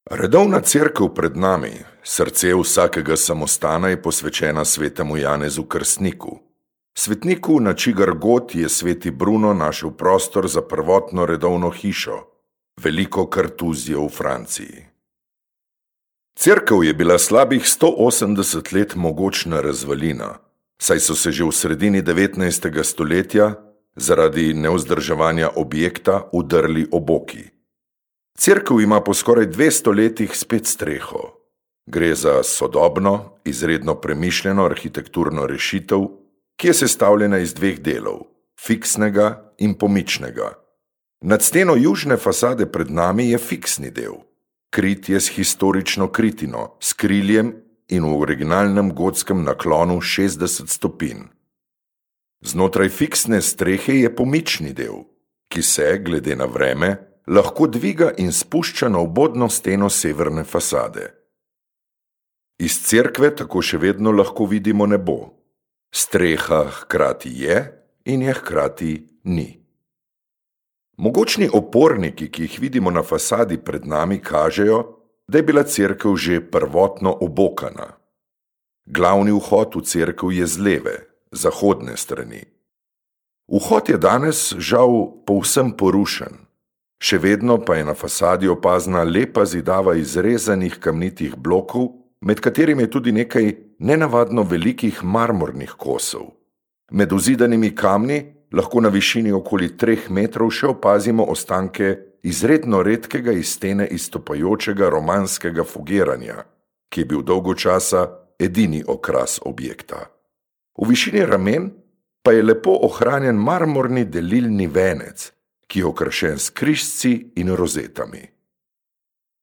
Redovna cerkev pred nami, srce vsakega samostana je posvečena svetemu Janezu Krstniku. Svetniku, na čigar god je sveti Bruno našel prostor za prvotno redovno hišo, veliko kartuzijo v Franciji. Cerkev je bila slabih 180 let mogočna razvalina, saj so se že v sredini 19. stoletja zaradi nevzdrževanja objekta udrli oboki. Cerkev ima po skoraj 200 letih spet streho. Gre za sodobno, izredno premišljeno arhitekturno rešitev, ki je sestavljena iz dveh delov, fiksnega in pomičnega. Nad steno južne fasade pred nami je fiksni del. Krit je s historično kritino, s kriljem in v originalnem gotskem naklonu 60 stopinj. Znotraj fiksne strehe je pomični del, ki se, glede na vreme, lahko dviga in spušča na obodno steno severne fasade. Iz cerkve tako še vedno lahko vidimo nebo. Streha hkrati je in je hkrati ni. Mogočni oporniki, ki jih vidimo na fasadi pred nami, kažejo, da je bila cerkev že prvotno obokana. Glavni vhod v cerkev je z leve, zahodne strani. Vhod je danes žal povsem porušen. Še vedno pa je na fasadi opazna lepa zidava izrezanih kamnitih blokov, med katerimi je tudi nekaj nenavadno velikih marmornih kosov. Med uzidanimi kamni lahko na višini okoli 3 metrov še opazimo ostanke izredno redkega iz stene izstopajočega romanskega fugiranja, ki je bil dolgo časa edini okras objekta. V višini ramen pa je lepo ohranjen marmorni delilni venec, ki je okrašen s križci in rozetami.